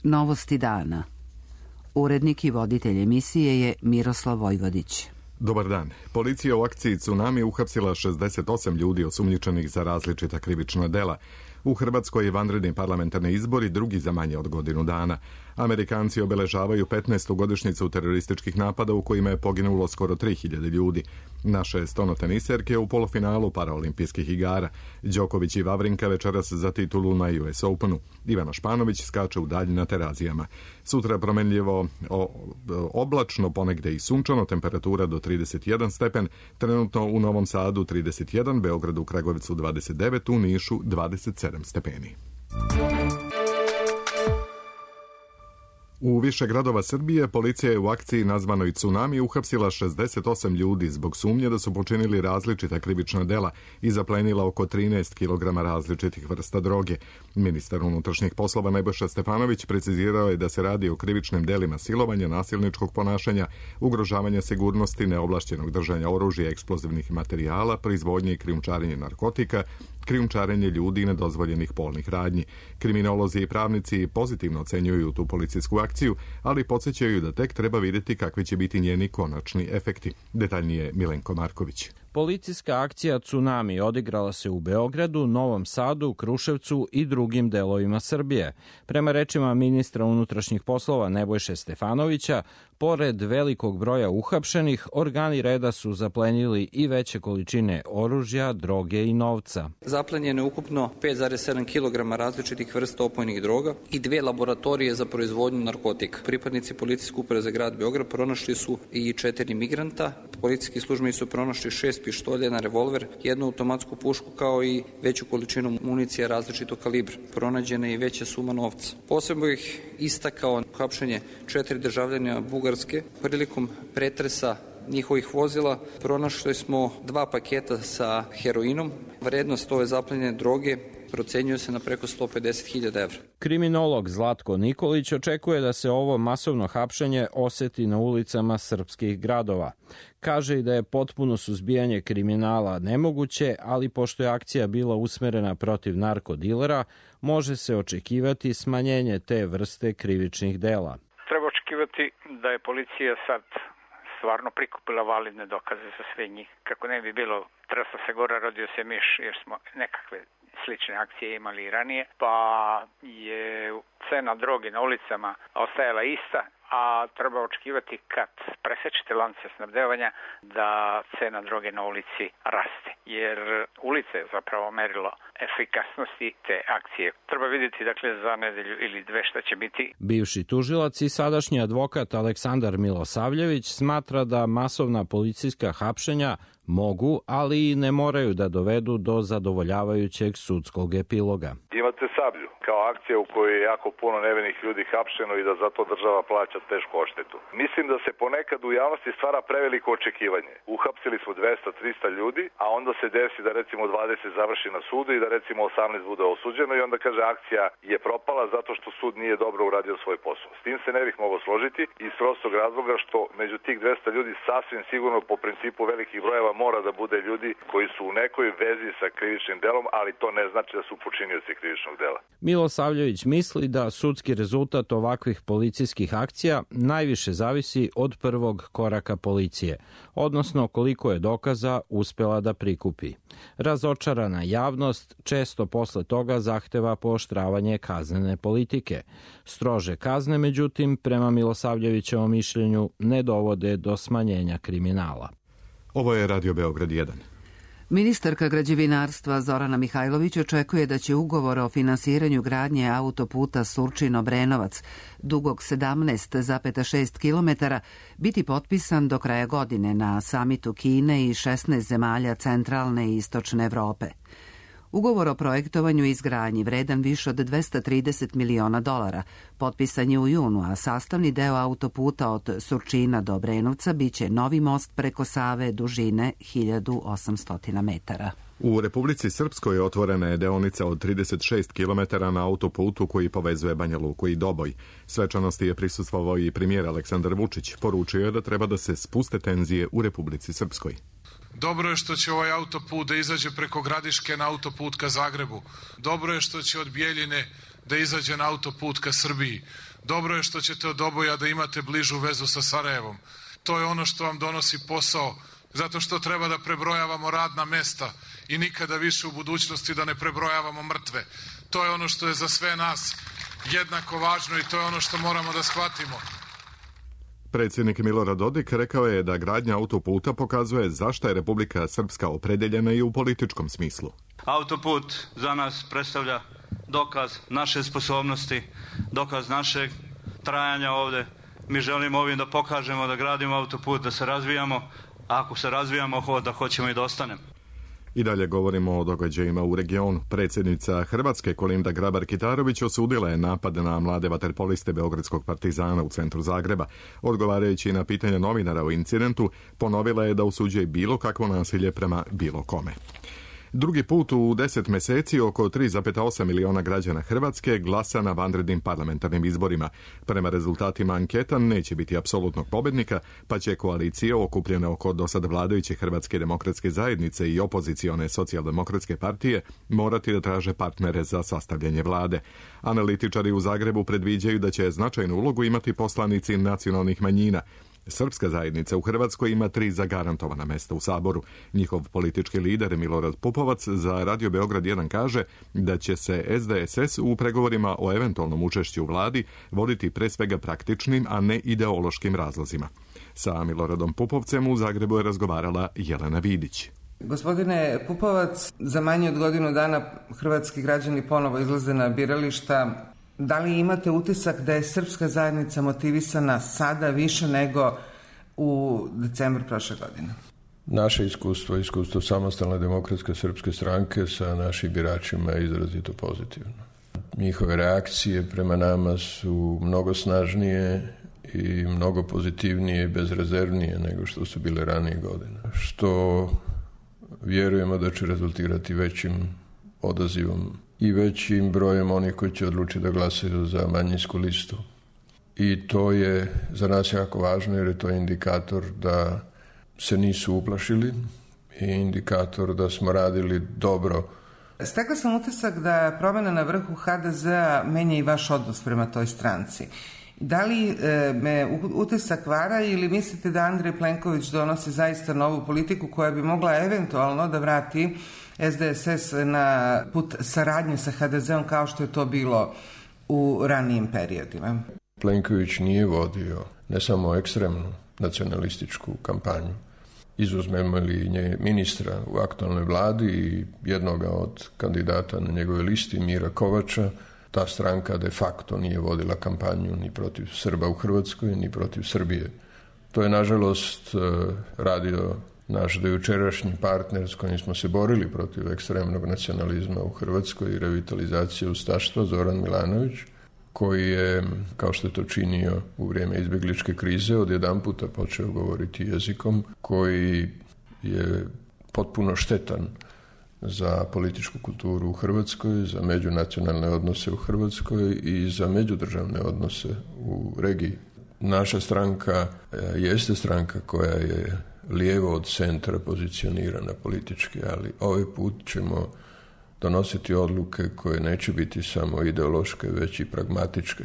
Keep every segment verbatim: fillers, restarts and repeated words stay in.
Novosti dana. Urednik i voditelj emisije je Miroslav Vojvodić. Dobar dan. Policija u akciji Tsunami uhapsila šezdeset osam ljudi osumnjičenih za različita krivična dela. U Hrvatskoj je vanredni parlamentarni izbori drugi za manje od godinu dana. Amerikanci obeležavaju petnaestu godišnjicu terorističkih napada u kojima je poginulo skoro tri hiljade ljudi. Naše stonoteniserke u polufinalu paraolimpijskih igara. Đoković i Vavrinka večeras za titulu na U S Openu. Ivana Španović skače u dalj na terazijama. Sutra promenljivo o, oblačno, ponegde i sunčano, temperatura do trideset jedan stepen, trenutno u Novom Sadu trideset jedan, Beogradu, Kragujevcu dvadeset devet, u Nišu dvadeset sedam stepeni. U više gradova Srbije policija je u akciji nazvanoj Tsunami uhapsila šezdeset osam ljudi zbog sumnje da su počinili različita krivična dela i zaplenila oko trinaest kilograma različitih vrsta droge. Ministar unutrašnjih poslova Nebojša Stefanović precizirao je da se radi o krivičnim delima silovanja, nasilničkog ponašanja, ugrožavanja sigurnosti, neovlašćenog držanja oružja, eksplozivnih materijala, proizvodnje i krijumčarenje narkotika, krijumčarenje ljudi i nedozvoljenih polnih radnji. Kriminolozi i pravnici pozitivno ocenjuju tu policijsku akciju, ali podsjećaju da tek treba vidjeti kakvi će biti njeni konačni efekti. Detaljnije Milenko Marković. Policijska akcija Tsunami odigrala se u Beogradu, Novom Sadu, Kruševcu i drugim delovima Srbije. Prema rečima ministra unutrašnjih poslova Nebojše Stefanovića, pored velikog broja uhapšenih, organi reda su zaplenili i veće količine oružja, droge i novca. Zaplenjeno je ukupno pet zarez sedam kilograma različitih vrsta opojnih droga i dve laboratorije za proizvodnju narkotika. Pripadnici policijske uprave za grad Beograd pronašli su i četiri migranta. Policijski službenici su pronašli šest pištolja, jedan revolver, jednu automatsku pušku kao i veću količinu municije različitog kalibra. Pronađena je i veća suma novca. Posebno ih istakao uhapšenje četiri državljana Bugarske. Prilikom pretresa njihovih vozila pronašli smo dva paketa sa heroinom. Vrednost ove zaplenjene droge procenjuje se na preko sto pedeset hiljada evra. Kriminolog Zlatko Nikolić očekuje da se ovo masovno hapšenje oseti na ulicama srpskih gradova. Kaže i da je potpuno suzbijanje kriminala nemoguće, ali pošto je akcija bila usmerena protiv narkodilera, može se očekivati smanjenje te vrste krivičnih dela. Treba očekivati da je policija sad stvarno prikupila validne dokaze za sve njih. Kako ne bi bilo trasa se gora, rodio se miš, jer smo nekakve slične akcije imali i ranije, pa je cena droge na ulicama ostajala ista, a treba očekivati kad presečete lance snabdevanja da cena droge na ulici raste, jer ulica je zapravo merilo efikasnosti te akcije. Treba vidjeti dakle za nedelju ili dve šta će biti. Bivši tužilac i sadašnji advokat Aleksandar Milosavljević smatra da masovna policijska hapšenja mogu, ali i ne moraju da dovedu do zadovoljavajućeg sudskog epiloga. Imate Sablju kao akcija u kojoj je jako puno nevinih ljudi hapšeno i da zato država plaća tešku odštetu. Mislim da se ponekad u javnosti stvara preveliko očekivanje. Uhapsili smo dvesta do trista ljudi, a onda se desi da recimo dvadeset završi na sudu i da recimo osamnaest bude osuđeno i onda kaže akcija je propala zato što sud nije dobro uradio svoj posao. S tim se ne bih mogao složiti iz prostog razloga što među tih dvesta ljudi sasvim sigurno po principu velikih brojeva mora da bude ljudi koji su u nekoj vezi sa krivičnim delom, ali to ne znači da su počinioci krivičnog dela. Milosavljević misli da sudski rezultat ovakvih policijskih akcija najviše zavisi od prvog koraka policije, odnosno koliko je dokaza uspela da prikupi. Razočarana javnost često posle toga zahteva pooštravanje kaznene politike. Strože kazne, međutim, prema Milosavljevićevom mišljenju, ne dovode do smanjenja kriminala. Ovo je Radio Beograd jedan. Ministarka građevinarstva Zorana Mihajlović očekuje da će ugovor o finansiranju gradnje autoputa Surčin-Obrenovac, dugog sedamnaest zarez šest kilometara, biti potpisan do kraja godine na samitu Kine i šesnaest zemalja centralne i istočne Evrope. Ugovor o projektovanju i izgradnji vredan više od dvesta trideset miliona dolara potpisan je u junu, a sastavni deo autoputa od Surčina do Obrenovca biće novi most preko Save dužine hiljadu osamsto metara. U Republici Srpskoj otvorena je deonica od trideset šest kilometara na autoputu koji povezuje Banja Luku i Doboj. Svečanosti je prisustvovao i premijer Aleksandar Vučić. Poručio je da treba da se spuste tenzije u Republici Srpskoj. Dobro je što će ovaj autoput da izađe preko Gradiške na autoput ka Zagrebu. Dobro je što će od Bijeljine da izađe na autoput ka Srbiji. Dobro je što ćete od Doboja da imate bližu vezu sa Sarajevom. To je ono što vam donosi posao, zato što treba da prebrojavamo radna mesta i nikada više u budućnosti da ne prebrojavamo mrtve. To je ono što je za sve nas jednako važno i to je ono što moramo da shvatimo. Predsjednik Milorad Dodik rekao je da gradnja autoputa pokazuje zašto je Republika Srpska opredeljena i u političkom smislu. Autoput za nas predstavlja dokaz naše sposobnosti, dokaz našeg trajanja ovde. Mi želimo ovim da pokažemo da gradimo autoput, da se razvijamo, a ako se razvijamo, da hoćemo i da ostanemo. I dalje govorimo o događajima u regionu. Predsjednica Hrvatske Kolinda Grabar-Kitarović osudila je napad na mlade vaterpoliste Beogradskog Partizana u centru Zagreba. Odgovarajući na pitanja novinara o incidentu, ponovila je da osuđuje bilo kakvo nasilje prema bilo kome. Drugi put u deset mjeseci oko tri zarez osam miliona građana Hrvatske glasa na vanrednim parlamentarnim izborima. Prema rezultatima anketa neće biti apsolutnog pobjednika, pa će koalicije okupljene oko dosad vladajuće Hrvatske demokratske zajednice i opozicione socijaldemokratske partije morati da traže partnere za sastavljanje vlade. Analitičari u Zagrebu predviđaju da će značajnu ulogu imati poslanici nacionalnih manjina. Srpska zajednica u Hrvatskoj ima tri zagarantovana mesta u Saboru. Njihov politički lider Milorad Pupovac za Radio Beograd jedan kaže da će se S D S S u pregovorima o eventualnom učešću u vladi voditi pre svega praktičnim, a ne ideološkim razlozima. Sa Miloradom Pupovcem u Zagrebu je razgovarala Jelena Vidić. Gospodine Pupovac, za manje od godinu dana hrvatski građani ponovo izlaze na birališta. Da li imate utisak da je srpska zajednica motivisana sada više nego u decembru prošle godine? Naše iskustvo, iskustvo samostalne demokratske srpske stranke sa našim biračima je izrazito pozitivno. Njihove reakcije prema nama su mnogo snažnije i mnogo pozitivnije i bezrezervnije nego što su bile ranije godine. Što vjerujemo da će rezultirati većim odazivom i većim brojem onih koji će odlučiti da glasaju za manjinsku listu. I to je za nas jako važno jer je to indikator da se nisu uplašili i indikator da smo radili dobro. Stekla sam utisak da promjena na vrhu H D Z-a menja i vaš odnos prema toj stranci. Da li e, me utisak vara ili mislite da Andrej Plenković donosi zaista novu politiku koja bi mogla eventualno da vrati S D S S na put saradnje sa H D Z-om kao što je to bilo u ranijim periodima? Plenković nije vodio ne samo ekstremnu nacionalističku kampanju. Izuzmemo li nje ministra u aktualnoj vladi i jednoga od kandidata na njegove listi, Mira Kovača, ta stranka de facto nije vodila kampanju ni protiv Srba u Hrvatskoj, ni protiv Srbije. To je, nažalost, radio naš dojučerašnji partner s kojim smo se borili protiv ekstremnog nacionalizma u Hrvatskoj i revitalizacije ustaštva, Zoran Milanović, koji je, kao što je to činio u vrijeme izbjegličke krize, odjedanputa počeo govoriti jezikom koji je potpuno štetan za političku kulturu u Hrvatskoj, za međunacionalne odnose u Hrvatskoj i za međudržavne odnose u regiji. Naša stranka jeste stranka koja je lijevo od centra pozicionirana politički, ali ovaj put ćemo donositi odluke koje neće biti samo ideološke, već i pragmatičke.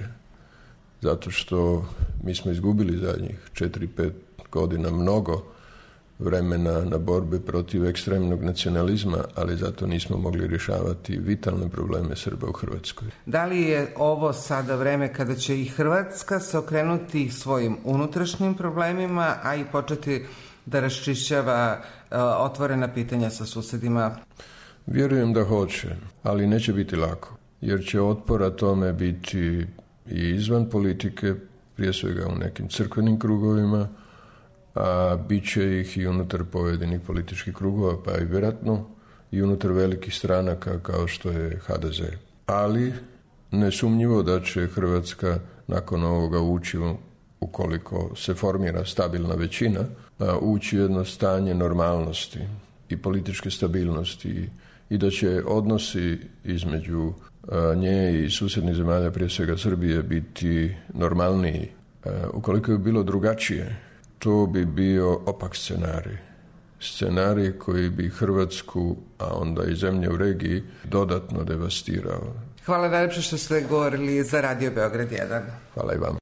Zato što mi smo izgubili zadnjih četiri pet godina mnogo vremena na borbe protiv ekstremnog nacionalizma, ali zato nismo mogli rješavati vitalne probleme Srba u Hrvatskoj. Da li je ovo sada vreme kada će i Hrvatska se okrenuti svojim unutrašnjim problemima, a i početi da raščišćava uh, otvorena pitanja sa susjedima? Vjerujem da hoće, ali neće biti lako, jer će otpora tome biti i izvan politike, prije svega u nekim crkvenim krugovima, a bit će ih i unutar pojedinih političkih krugova, pa i vjerojatno i unutar velikih stranaka kao što je H D Z. Ali nesumnjivo da će Hrvatska nakon ovoga ući, ukoliko se formira stabilna većina, ući u jedno stanje normalnosti i političke stabilnosti i da će odnosi između nje i susjednih zemalja, prije svega Srbije, biti normalniji. Ukoliko bi bilo drugačije, to bi bio opak scenarij. Scenarij koji bi Hrvatsku, a onda i zemlje u regiji, dodatno devastirao. Hvala najlepše što ste govorili za Radio Beograd jedan. Hvala i vam.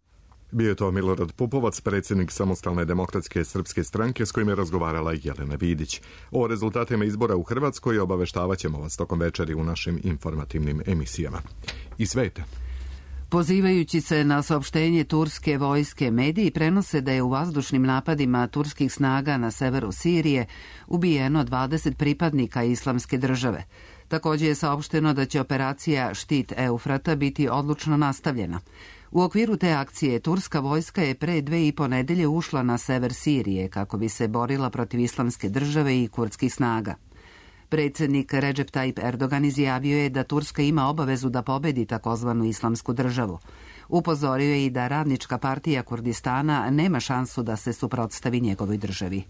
Bio je to Milorad Pupovac, predsjednik Samostalne demokratske srpske stranke, s kojim je razgovarala Jelena Vidić. O rezultatima izbora u Hrvatskoj obaveštavat ćemo vas tokom večeri u našim informativnim emisijama. I sveta. Pozivajući se na saopštenje turske vojske, mediji prenose da je u vazdušnim napadima turskih snaga na severu Sirije ubijeno dvadeset pripadnika Islamske države. Također je saopšteno da će operacija Štit Eufrata biti odlučno nastavljena. U okviru te akcije turska vojska je pre dve i po nedelje ušla na sever Sirije kako bi se borila protiv Islamske države i kurdskih snaga. Predsjednik Recep Tayyip Erdogan izjavio je da Turska ima obavezu da pobedi takozvanu Islamsku državu. Upozorio je i da Radnička partija Kurdistana nema šansu da se suprotstavi njegovoj državi.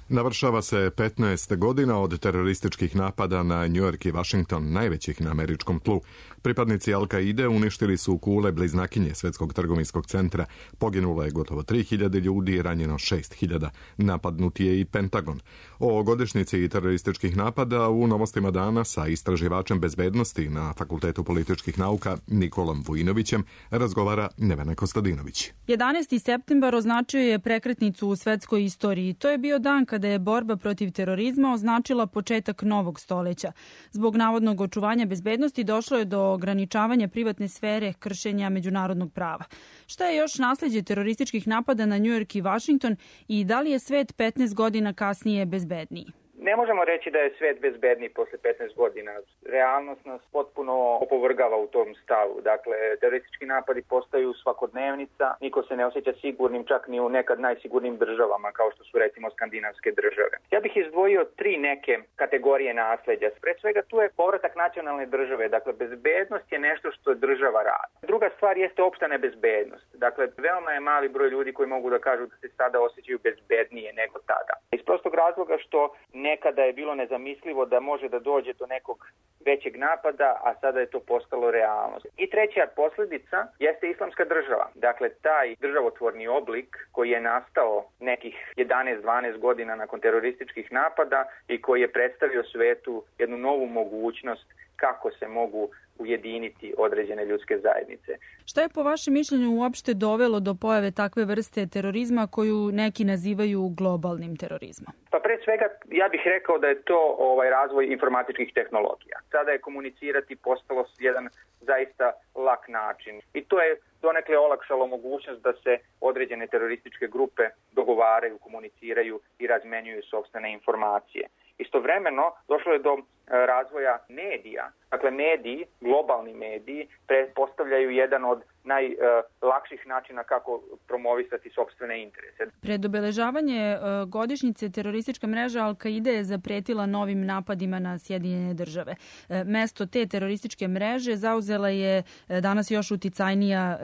Navršava se petnaest godina od terorističkih napada na New York i Washington, najvećih na američkom tlu. Pripadnici Al-Kaide uništili su kule bliznakinje Svjetskog trgovinskog centra. Poginulo je gotovo tri hiljade ljudi i ranjeno šest hiljada. Napadnut je i Pentagon. O godišnjici terorističkih napada u Novostima dana sa istraživačem bezbednosti na Fakultetu političkih nauka Nikolom Vujinovićem razgovara Nevena Kostadinović. jedanaesti septembar označio je prekretnicu u svetskoj istoriji. To je bio dan kada je borba protiv terorizma označila početak novog stoleća. Zbog navodnog očuvanja bezbednosti došlo je do ograničavanja privatne sfere, kršenja međunarodnog prava. Šta je još nasleđe terorističkih napada na New York i Washington i da li je svet petnaest godina kasnije bezbedniji? Ne možemo reći da je svet bezbedniji posle petnaest godina. Realnost nas potpuno opovrgava u tom stavu. Dakle, teroristički napadi postaju svakodnevnica, niko se ne osjeća sigurnim čak ni u nekad najsigurnijim državama, kao što su recimo skandinavske države. Ja bih izdvojio tri neke kategorije nasleđa. Pre svega tu je povratak nacionalne države. Dakle, bezbednost je nešto što država radi. Druga stvar jeste opšta nebezbednost. Dakle, veoma je mali broj ljudi koji mogu da kažu da se sada osjećaju bezbednije nego tada. Iz prostog razloga što nekada je bilo nezamislivo da može da dođe do nekog većeg napada, a sada je to postalo realnost. I treća posljedica jeste Islamska država. Dakle, taj državotvorni oblik koji je nastao nekih jedanaest dvanaest godina nakon terorističkih napada i koji je predstavio svetu jednu novu mogućnost kako se mogu ujediniti određene ljudske zajednice. Šta je po vašem mišljenju uopšte dovelo do pojave takve vrste terorizma koju neki nazivaju globalnim terorizmom? Pa pre svega ja bih rekao da je to ovaj razvoj informatičkih tehnologija. Sada je komunicirati postalo jedan zaista lak način i to je donekle olakšalo mogućnost da se određene terorističke grupe dogovaraju, komuniciraju i razmenjuju sopstvene informacije. Istovremeno došlo je do razvoja medija. Dakle, mediji, globalni mediji, predpostavljaju jedan od najlakših načina kako promovisati sopstvene interese. Pred obeležavanje godišnjice teroristička mreža Al-Kaide je zapretila novim napadima na Sjedinjene države. Mesto te terorističke mreže zauzela je danas još uticajnija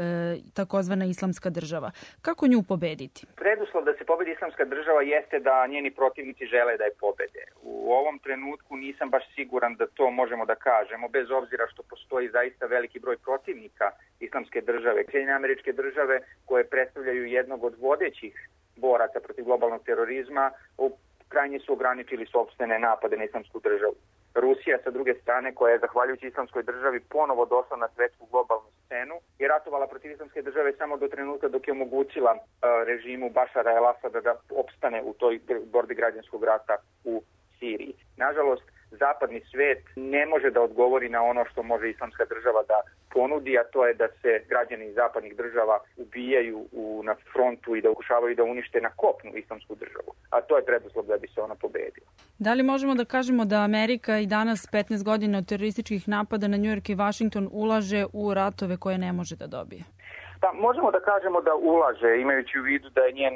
takozvana Islamska država. Kako nju pobediti? Preduslov da se pobedi Islamska država jeste da njeni protivnici žele da je pobede. U ovom trenutku nisam baš siguran da to možemo da kažemo, bez obzira što postoji zaista veliki broj protivnika Islamske države. Sjedinjene Američke Države, koje predstavljaju jednog od vodećih boraca protiv globalnog terorizma, krajnje su ograničili sopstvene napade na Islamsku državu. Rusija, sa druge strane, koja je zahvaljujući Islamskoj državi ponovo došla na svetsku globalnu scenu, je ratovala protiv Islamske države samo do trenutka dok je omogućila uh, režimu Bašara el-Asada da opstane u toj borbi građanskog rata u Siriji. Nažalost, zapadni svet ne može da odgovori na ono što može Islamska država da ponudi, a to je da se građani zapadnih država ubijaju u, na frontu i da pokušavaju da unište na kopnu Islamsku državu. A to je preduslov da bi se ona pobedila. Da li možemo da kažemo da Amerika i danas petnaest godina od terorističkih napada na New York i Washington ulaže u ratove koje ne može da dobije? Pa, možemo da kažemo da ulaže, imajući u vidu da je njen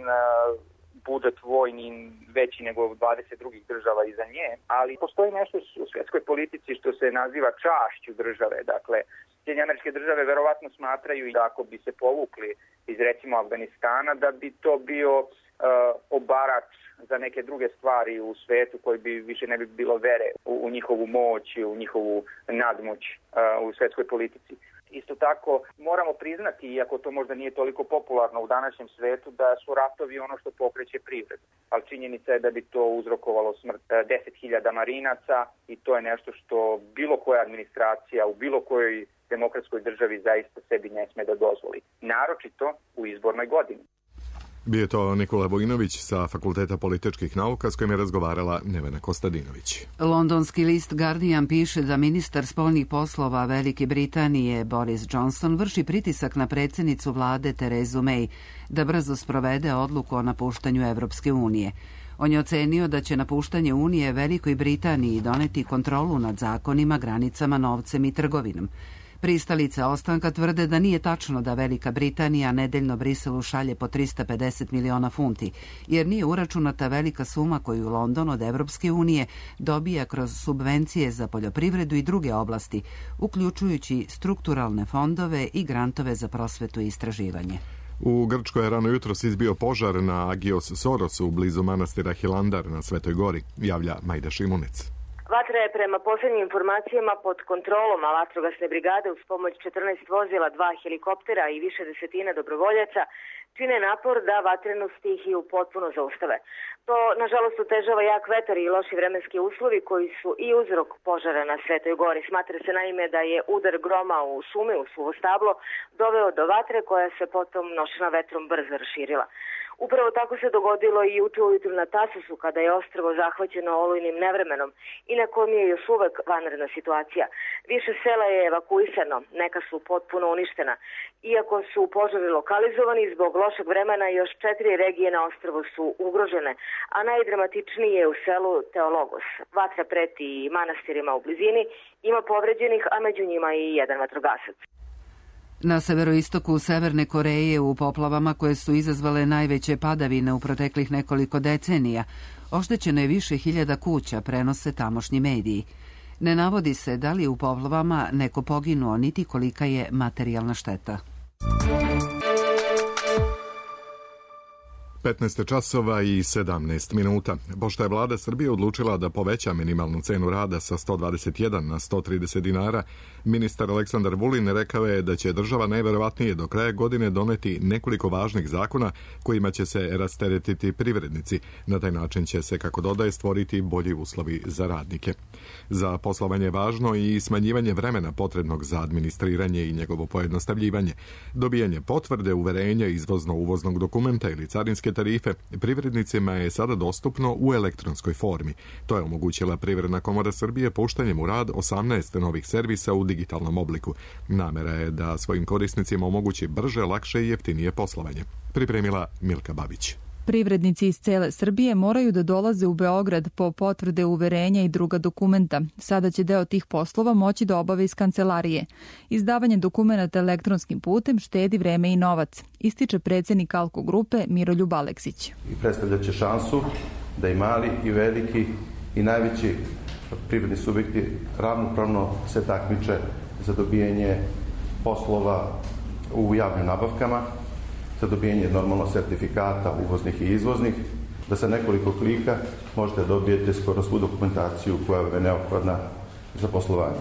budžet vojni veći nego dvadeset drugih država iza nje, ali postoji nešto u svjetskoj politici što se naziva čašću države. Dakle, Sjedinjene Američke Države verovatno smatraju da ako bi se povukli iz recimo Afganistana, da bi to bio uh, obarač za neke druge stvari u svetu koji bi više ne bi bilo vere u, u njihovu moć i u njihovu nadmoć uh, u svjetskoj politici. Isto tako moramo priznati, iako to možda nije toliko popularno u današnjem svetu, da su ratovi ono što pokreće privredu. Ali činjenica je da bi to uzrokovalo smrt deset hiljada marinaca i to je nešto što bilo koja administracija u bilo kojoj demokratskoj državi zaista sebi ne sme da dozvoli. Naročito u izbornoj godini. Bio je to Nikola Vojinović sa Fakulteta političkih nauka s kojim je razgovarala Nevena Kostadinović. Londonski list Guardian piše da ministar spoljnih poslova Velike Britanije Boris Johnson vrši pritisak na predsjednicu vlade Terezu May da brzo sprovede odluku o napuštanju Evropske unije. On je ocenio da će napuštanje Unije Velikoj Britaniji doneti kontrolu nad zakonima, granicama, novcem i trgovinom. Pristalice ostanka tvrde da nije tačno da Velika Britanija nedeljno Briselu šalje po trista pedeset miliona funti, jer nije uračunata velika suma koju London od Evropske unije dobija kroz subvencije za poljoprivredu i druge oblasti, uključujući strukturalne fondove i grantove za prosvetu i istraživanje. U Grčkoj je rano jutros izbio požar na Agios Sorosu blizu manastira Hilandar na Svetoj gori, javlja Majda Šimunec. Vatra je prema posljednjim informacijama pod kontrolom, a vatrogasne brigade uz pomoć četrnaest vozila, dva helikoptera i više desetina dobrovoljaca čine napor da vatrenu stihiju potpuno zaustave. To, nažalost, otežava jak vetar i loši vremenski uslovi koji su i uzrok požara na Svetoj gori. Smatra se naime da je udar groma u šumi, u suvo stablo, doveo do vatre koja se potom nošena vetrom brzo raširila. Upravo tako se dogodilo i jutro ujutru na Tasosu kada je ostrvo zahvaćeno olujnim nevremenom i na kojem je još uvek vanredna situacija. Više sela je evakuisano, neka su potpuno uništena. Iako su požari lokalizovani zbog lošeg vremena, još četiri regije na ostrvu su ugrožene, a najdramatičniji je u selu Teologos. Vatra preti i manastirima u blizini, ima povređenih, a među njima i jedan vatrogasac. Na severoistoku Severne Koreje u poplavama koje su izazvale najveće padavine u proteklih nekoliko decenija, oštećeno je više hiljada kuća, prenose tamošnji mediji. Ne navodi se da li je u poplavama neko poginuo, niti kolika je materijalna šteta. petnaest časova i sedamnaest minuta. Pošto je vlada Srbije odlučila da poveća minimalnu cenu rada sa sto dvadeset jedan na sto trideset dinara, ministar Aleksandar Vulin rekao je da će država najverovatnije do kraja godine doneti nekoliko važnih zakona kojima će se rasteretiti privrednici. Na taj način će se, kako dodaje, stvoriti bolji uslovi za radnike. Za poslovanje je važno i smanjivanje vremena potrebnog za administriranje i njegovo pojednostavljivanje. Dobijanje potvrde, uverenja, izvozno-uvoznog dokumenta ili carinske tarife privrednicima je sada dostupno u elektronskoj formi. To je omogućila Privredna komora Srbije puštanjem u rad osamnaest novih servisa u digitalnom obliku. Namera je da svojim korisnicima omogući brže, lakše i jeftinije poslovanje. Pripremila Milka Babić. Privrednici iz cele Srbije moraju da dolaze u Beograd po potvrde uverenja i druga dokumenta. Sada će deo tih poslova moći da obave iz kancelarije. Izdavanje dokumenta elektronskim putem štedi vreme i novac, ističe predsjednik Alko grupe Miroljub Aleksić. I predstavljaće šansu da i mali i veliki i najveći privredni subjekti ravnopravno se takmiče za dobijanje poslova u javnim nabavkama, za dobijanje normalno sertifikata uvoznih i izvoznih, da sa nekoliko klika možete dobijete skoro svu dokumentaciju koja je neophodna za poslovanje.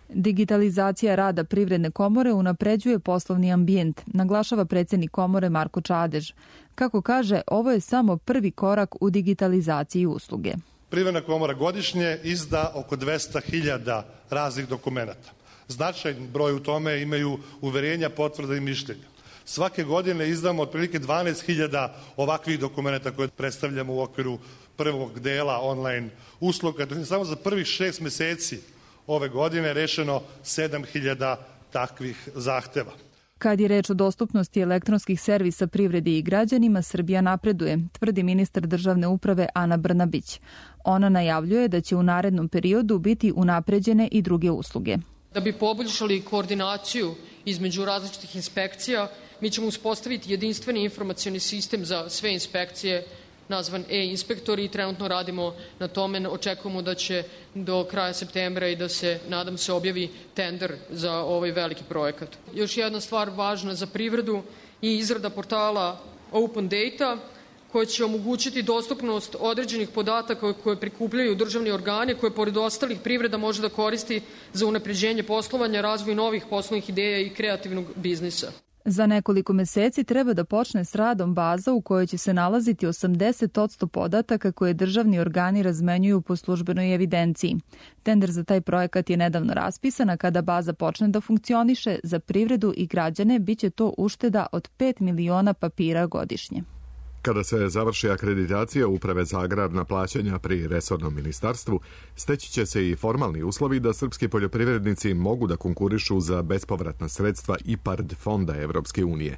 Digitalizacija rada Privredne komore unapređuje poslovni ambijent, naglašava predsjednik komore Marko Čadež. Kako kaže, ovo je samo prvi korak u digitalizaciji usluge. Privredna komora godišnje izda oko dvesta hiljada raznih dokumenata. Značajan broj u tome imaju uverenja, potvrde i mišljenja. Svake godine izdamo otprilike dvanaest hiljada ovakvih dokumenta koje predstavljamo u okviru prvog dela online usluga. Dok je samo za prvih šest meseci ove godine rešeno sedam hiljada takvih zahteva. Kad je reč o dostupnosti elektronskih servisa privredi i građanima, Srbija napreduje, tvrdi ministar državne uprave Ana Brnabić. Ona najavljuje da će u narednom periodu biti unapređene i druge usluge. Da bi poboljšali koordinaciju između različitih inspekcija, mi ćemo uspostaviti jedinstveni informacioni sistem za sve inspekcije nazvan e-inspektori i trenutno radimo na tome. Očekujemo da će do kraja septembra i da se, nadam se, objavi tender za ovaj veliki projekat. Još jedna stvar važna za privredu i izrada portala Open Data koja će omogućiti dostupnost određenih podataka koje prikupljaju državni organi, koje pored ostalih privreda može da koristi za unapređenje poslovanja, razvoj novih poslovnih ideja i kreativnog biznisa. Za nekoliko meseci treba da počne s radom baza u kojoj će se nalaziti osamdeset posto podataka koje državni organi razmenjuju po službenoj evidenciji. Tender za taj projekat je nedavno raspisan, a kada baza počne da funkcioniše, za privredu i građane biće to ušteda od pet miliona papira godišnje. Kada se završi akreditacija Uprave za agrarna plaćanja pri resornom ministarstvu, steći će se i formalni uslovi da srpski poljoprivrednici mogu da konkurišu za bespovratna sredstva I P A R D fonda Evropske unije.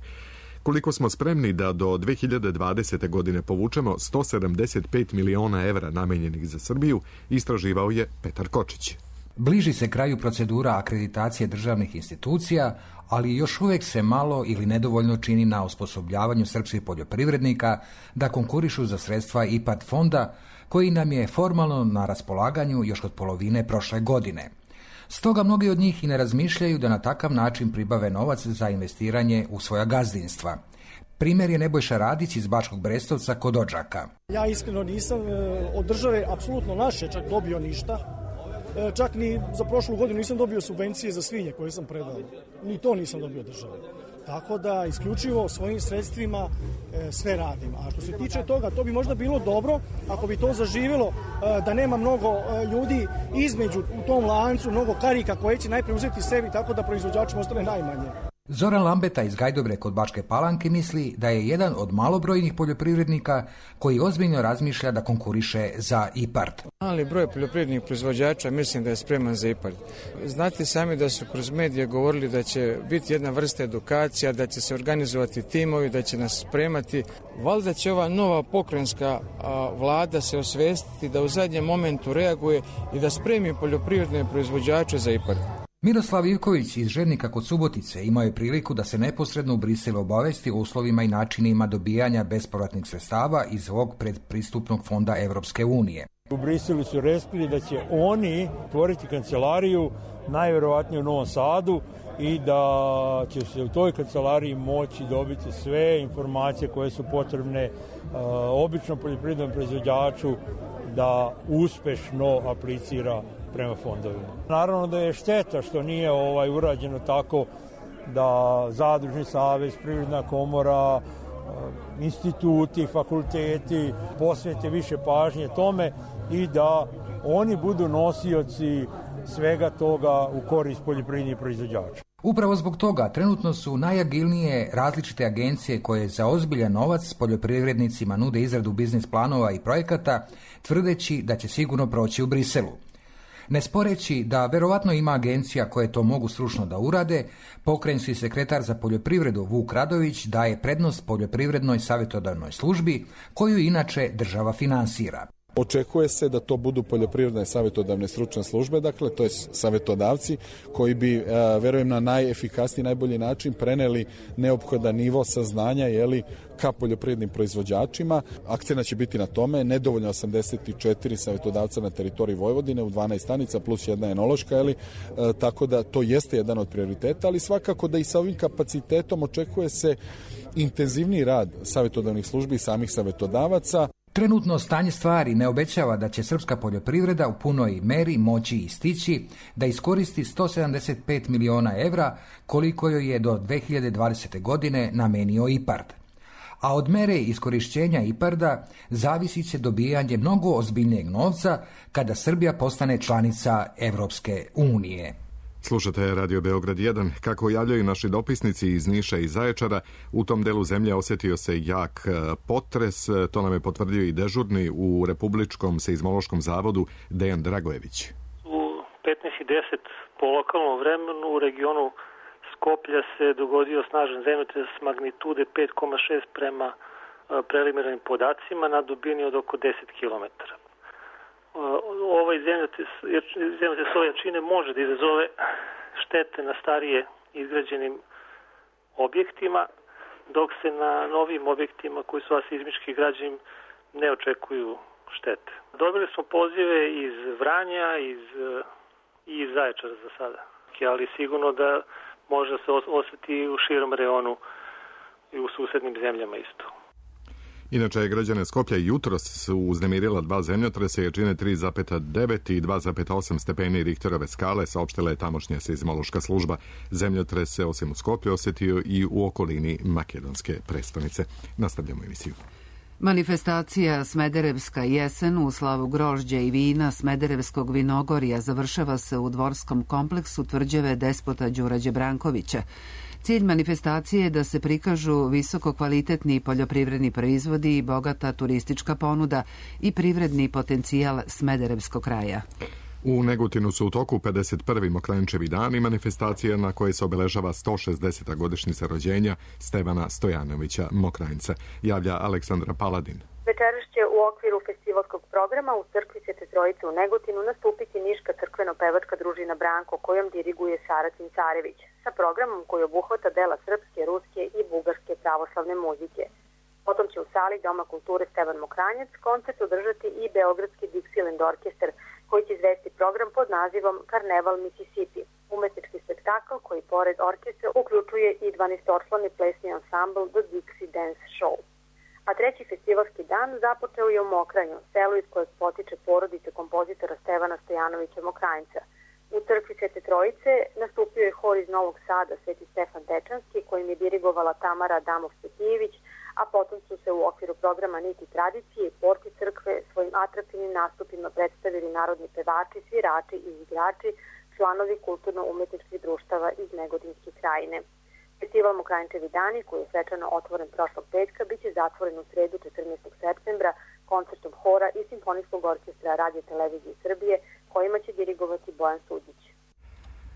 Koliko smo spremni da do dve hiljade dvadesete. godine povučemo sto sedamdeset pet miliona evra namenjenih za Srbiju, istraživao je Petar Kočić. Bliži se kraju procedura akreditacije državnih institucija, ali još uvijek se malo ili nedovoljno čini na osposobljavanju srpskih poljoprivrednika da konkurišu za sredstva I P A R D fonda, koji nam je formalno na raspolaganju još od polovine prošle godine. Stoga mnogi od njih i ne razmišljaju da na takav način pribave novac za investiranje u svoja gazdinstva. Primjer je Nebojša Radić iz Bačkog Brestovca kod Odžaka. Ja iskreno nisam od države apsolutno naše čak dobio ništa. Čak ni za prošlu godinu nisam dobio subvencije za svinje koje sam predao. Ni to nisam dobio države. Tako da isključivo svojim sredstvima e, sve radim. A što se tiče toga, to bi možda bilo dobro ako bi to zaživjelo, e, da nema mnogo e, ljudi između u tom lancu, mnogo karika koje će najprije uzeti sebi, tako da proizvođačima ostane najmanje. Zoran Lambeta iz Gajdobre kod Bačke Palanke misli da je jedan od malobrojnih poljoprivrednika koji ozbiljno razmišlja da konkuriše za I P A R D. Mali broj poljoprivrednih proizvođača mislim da je spreman za I P A R D. Znate sami da su kroz medije govorili da će biti jedna vrsta edukacija, da će se organizovati timovi, da će nas spremati. Valjda će ova nova pokrajinska vlada se osvestiti da u zadnjem momentu reaguje i da spremi poljoprivredne proizvođače za I P A R D. Miroslav Ivković iz Žernika kod Subotice imao je priliku da se neposredno u Briselu obavesti o uslovima i načinima dobijanja bespovratnih sredstava iz ovog predpristupnog fonda Evropske unije. U Briselu su rekli da će oni tvoriti kancelariju najvjerovatnije u Novom Sadu i da će se u toj kancelariji moći dobiti sve informacije koje su potrebne uh, običnom poljoprivrednom proizvođaču da uspešno aplicira prema fondovima. Naravno da je šteta što nije ovaj urađeno tako da Zadružni savez, Privredna komora, instituti, fakulteti posvete više pažnje tome i da oni budu nosioci svega toga u korist poljoprivrednih proizvođača. Upravo zbog toga trenutno su najagilnije različite agencije koje za ozbiljan novac poljoprivrednicima nude izradu biznis planova i projekata, tvrdeći da će sigurno proći u Briselu. Ne sporeći da verovatno ima agencija koje to mogu stručno da urade, pokrajinski sekretar za poljoprivredu Vuk Radović daje prednost poljoprivrednoj savjetodavnoj službi, koju inače država finansira. Očekuje se da to budu poljoprivredne savjetodavne stručne službe, dakle to je savjetodavci koji bi, verujem, na najefikasniji, najbolji način preneli neophodan nivo saznanja jeli, ka poljoprivrednim proizvođačima. Akcena će biti na tome, nedovoljno osamdeset četiri savjetodavca na teritoriji Vojvodine u dvanaest stanica plus jedna enološka, jeli, e, tako da to jeste jedan od prioriteta, ali svakako da i sa ovim kapacitetom očekuje se intenzivniji rad savjetodavnih službi i samih savjetodavaca. Trenutno stanje stvari ne obećava da će srpska poljoprivreda u punoj meri moći istići da iskoristi sto sedamdeset pet miliona evra koliko joj je do dve hiljade dvadesete. godine namenio I P A R D. A od mere iskorišćenja I P A R D-a zavisit će dobijanje mnogo ozbiljnijeg novca kada Srbija postane članica Evropske unije. Slušate Radio Beograd jedan. Kako javljaju naši dopisnici iz Niša i Zaječara, u tom delu zemlje osjetio se jak potres. To nam je potvrdio i dežurni u Republičkom seizmološkom zavodu Dejan Dragojević. U petnaest i deset po lokalnom vremenu u regionu Skoplja se dogodio snažan zemljotres magnitude pet zarez šest prema preliminarnim podacima na dubini od oko deset kilometara. Ovaj zemljotres, zemljotres ove jačine može da izazove štete na starije izgrađenim objektima, dok se na novim objektima koji su seizmički građeni ne očekuju štete. Dobili smo pozive iz Vranja iz, i iz Zaječara za sada, ali sigurno da može se osjeti u širom reonu i u susednim zemljama isto. Inače, građane Skoplja jutros su uznemirila dva zemljotresa jačine tri zarez devet i dva zarez osam stepeni Richterove skale, saopštila je tamošnja seizmološka služba. Zemljotres se osim u Skoplju osetio i u okolini makedonske prestonice. Nastavljamo emisiju. Manifestacija Smederevska jesen u slavu grožđa i vina Smederevskog vinogorja završava se u dvorskom kompleksu tvrđave Despota Đurađe Brankovića. Cilj manifestacije je da se prikažu visoko kvalitetni poljoprivredni proizvodi i bogata turistička ponuda i privredni potencijal Smederevskog kraja. U Negotinu su u toku pedeset prvi Mokrančevi dani, manifestacija na kojoj se obeležava sto šezdeseta godišnjica rođenja Stevana Stojanovića Mokranjca, javlja Aleksandra Paladin. Večeras će u okviru festivalskog programa u crkvi Svete Trojice u Negotinu nastupiti Niška crkveno-pevačka družina Branko, kojom diriguje Saratin Carević, sa programom koji obuhvata dela srpske, ruske i bugarske pravoslavne muzike. Potom će u sali Doma kulture Stevan Mokranjac koncert održati i Beogradski Dixieland orkestar, koji će izvesti program pod nazivom Karneval Mississippi, umetnički spektakl koji pored orkestra uključuje i dvanaestoslovni plesni ansambl The Dixie Dance Show. A treći festivalski dan započeo je u Mokranju, selu iz kojeg potiče porodica kompozitora Stevana Stojanovića Mokranjca. U crkvi Svete Trojice nastupio je hor iz Novog Sada Sveti Stefan Dečanski, kojim je dirigovala Tamara Adamov-Petijević, a potom su se u okviru programa Niti tradicije i porti crkve svojim atraktivnim nastupima predstavili narodni pevači, svirači i igrači, članovi kulturno-umetničkih društava iz Negotinske krajine. Festival Mokranjčevi dani, koji je svečano otvoren prošlog petka, biće zatvoren u sredu četrnaestog septembra koncertom hora i simfonijskog orkestra Radio Televizije Srbije, kojima će dirigovati Bojan Sudić.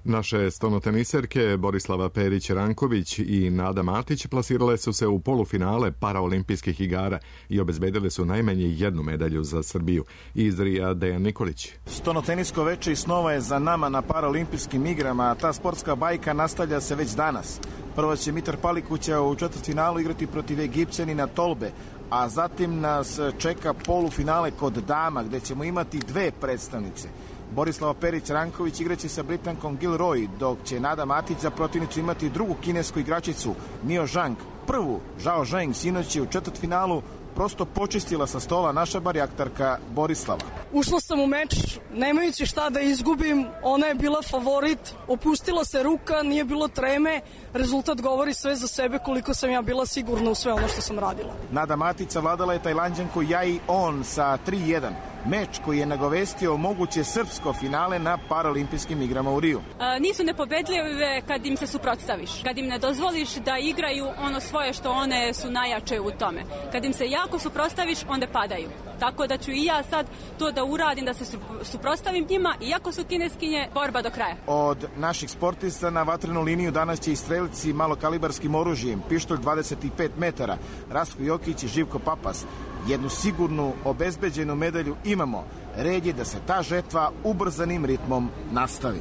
Naše stonoteniserke Borislava Perić-Ranković i Nada Matić plasirale su se u polufinale paraolimpijskih igara i obezbedile su najmanje jednu medalju za Srbiju. Iz Rija Dejan Nikolić. Stonotenisko veče i snova je za nama na paraolimpijskim igrama, a ta sportska bajka nastavlja se već danas. Prvo će Mitar Palikuća u četvrtfinalu igrati protiv Egipćanina Tolbe, a zatim nas čeka polufinale kod dama, gde ćemo imati dve predstavnice. Borislava Perić-Ranković igraće sa Britankom Gilroy, dok će Nada Matić za protivnicu imati drugu kinesku igračicu Nio Zhang. Prvu, Zhao Zheng, sinoć je u četvrtfinalu prosto počistila sa stola naša barijaktarka Borislava. Ušla sam u meč, nemajući šta da izgubim, ona je bila favorit, opustila se ruka, nije bilo treme, rezultat govori sve za sebe koliko sam ja bila sigurna u sve ono što sam radila. Nada Matić savladala je Tajlanđanku Jai On sa tri jedan. Meč koji je nagovestio moguće srpsko finale na paraolimpijskim igrama u Riju. A, nisu nepobedljive kad im se suprotstaviš, kad im ne dozvoliš da igraju ono svoje što one su najjače u tome. Kad im se jako suprotstaviš, onda padaju. Tako da ću i ja sad to da uradim, da se suprotstavim njima, iako su kineskinje, borba do kraja. Od naših sportista na vatrenu liniju danas će i strelci malokalibarskim oružjem, pištolj dvadeset pet metara, Rastko Jokić i Živko Papas. Jednu sigurnu, obezbeđenu medalju imamo. Red je da se ta žetva ubrzanim ritmom nastavi.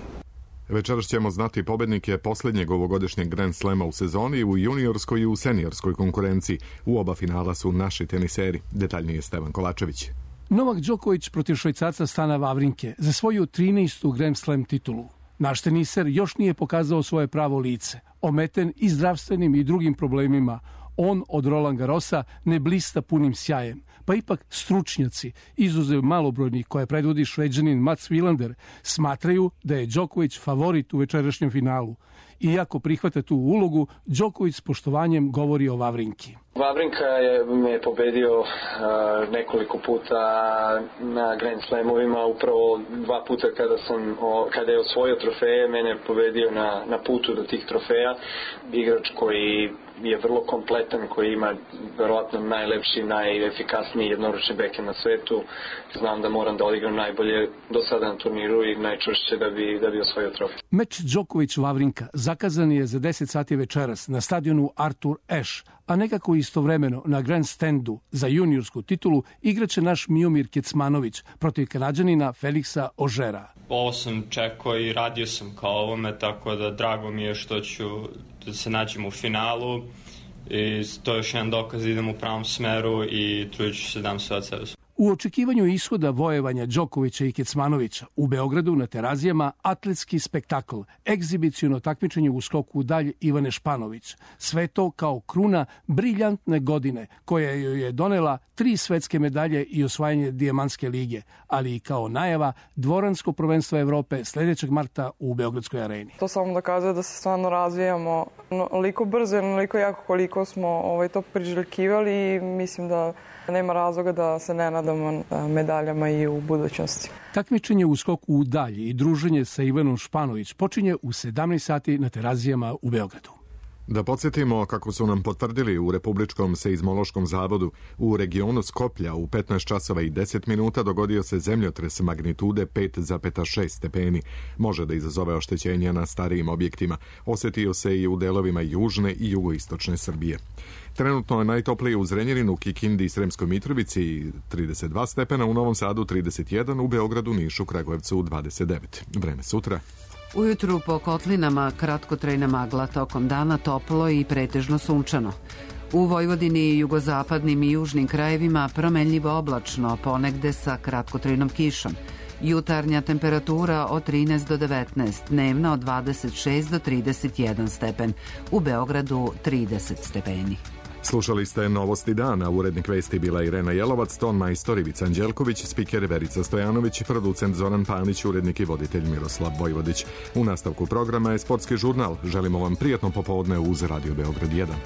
Večeras ćemo znati pobednike posljednjeg ovogodišnjeg Grand Slema u sezoni u juniorskoj i u seniorskoj konkurenciji. U oba finala su naši teniseri. Detaljnije Stevan Kolačević. Novak Đoković protiv Švajcarca Stana Wawrinke za svoju trinaestu Grand Slam titulu. Naš teniser još nije pokazao svoje pravo lice. Ometen i zdravstvenim i drugim problemima, on od Roland Garrosa ne blista punim sjajem, pa ipak stručnjaci, izuzev malobrojnih koje predvodi Šveđanin Mats Wilander, smatraju da je Đoković favorit u večerašnjem finalu. Iako prihvata tu ulogu, Đoković s poštovanjem govori o Wawrinki. Wawrinka je me pobedio uh, nekoliko puta na Grand Slamovima, upravo dva puta kada sam o, kada je osvojio trofeje, mene je pobedio na, na putu do tih trofeja. Igrač koji je vrlo kompletan, koji ima verovatno najlepši, najefikasniji jednoručni backhand na svetu. Znam da moram da odigram najbolje do sada na turniru i najčvršće da bi, da bi osvojio trofej. Meč Đoković-Wawrinka zakazan je za deset sati večeras na stadionu Arthur Ashe, a nekako istovremeno na grandstandu za juniorsku titulu igraće naš Miomir Kecmanović protiv Kanađanina Feliksa Ožera. Ovo sam čekao i radio sam kao ovome, tako da drago mi je što ću da se nađem u finalu i to je još jedan dokaz da idem u pravom smeru i trudit ću se da dam sve od sebe. U očekivanju ishoda vojevanja Đokovića i Kecmanovića u Beogradu na Terazijama atletski spektakl, egzibiciono takmičenje u skoku u dalj Ivane Španović. Sve to kao kruna briljantne godine koja joj je donela tri svetske medalje i osvajanje dijamantske lige, ali i kao najava dvoransko prvenstvo Evrope sledećeg marta u Beogradskoj areni. To samo dokazuje da se stvarno razvijamo onoliko brzo i onoliko jako koliko smo ovaj, to priželjkivali i mislim da nema razloga da se ne nadamo medaljama i u budućnosti. Takmičenje u skoku u dalj i druženje sa Ivanom Španović počinje u sedamnaest sati na Terazijama u Beogradu. Da podsjetimo kako su nam potvrdili u Republičkom seizmološkom zavodu, u regionu Skoplja u petnaest časova i deset minuta dogodio se zemljotres magnitude pet zarez šest stepeni. Može da izazove oštećenja na starijim objektima. Osetio se i u delovima južne i jugoistočne Srbije. Trenutno je najtoplije u Zrenjaninu, Kikindi i Sremskoj Mitrovici trideset dva stepena, u Novom Sadu trideset jedan, u Beogradu, Nišu, Kragujevcu dvadeset devet. Vreme sutra. Ujutru po kotlinama kratkotrajna magla, tokom dana toplo i pretežno sunčano. U Vojvodini i jugozapadnim i južnim krajevima promenljivo oblačno, ponegde sa kratkotrajnom kišom. Jutarnja temperatura od trinaest do devetnaest, dnevna od dvadeset šest do trideset jedan stepen. U Beogradu trideset stepeni. Slušali ste Novosti dana, urednik vesti bila Irena Jelovac, ton majstor Ivica Anđelković, spiker Verica Stojanović, producent Zoran Panić, urednik i voditelj Miroslav Vojvodić. U nastavku programa je sportski žurnal. Želimo vam prijatno popodne uz Radio Beograd jedan.